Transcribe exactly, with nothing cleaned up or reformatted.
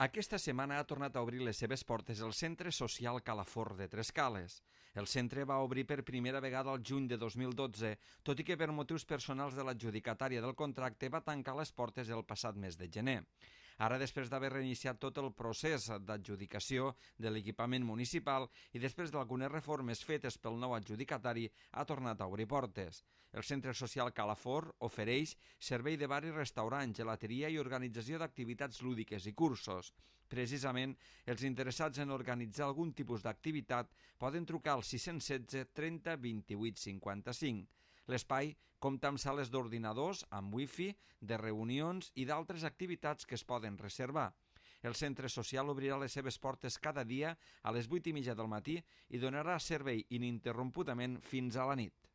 Aquesta setmana ha tornat a obrir les seves portes el Centre Social Calafort de Trescales. El centre va obrir per primera vegada al juny de dos mil dotze, tot i que per motius personals de l'adjudicatària del contracte va tancar les portes el passat mes de gener. Ara, després d'haver reiniciat tot el procés d'adjudicació de l'equipament municipal i després d'algunes reformes fetes pel nou adjudicatari, ha tornat a obrir portes. El Centre Social Calafort ofereix servei de bar i restaurant, gelateria i organització d'activitats lúdiques i cursos. Precisament, els interessats en organitzar algun tipus d'activitat poden trucar al sis cents i setze trenta vint-i-vuit cinquanta-cinc. L'espai compta amb sales d'ordinadors, amb wifi, de reunions i d'altres activitats que es poden reservar. El centre social obrirà les seves portes cada dia a les vuit i mitja del matí i donarà servei ininterrompudament fins a la nit.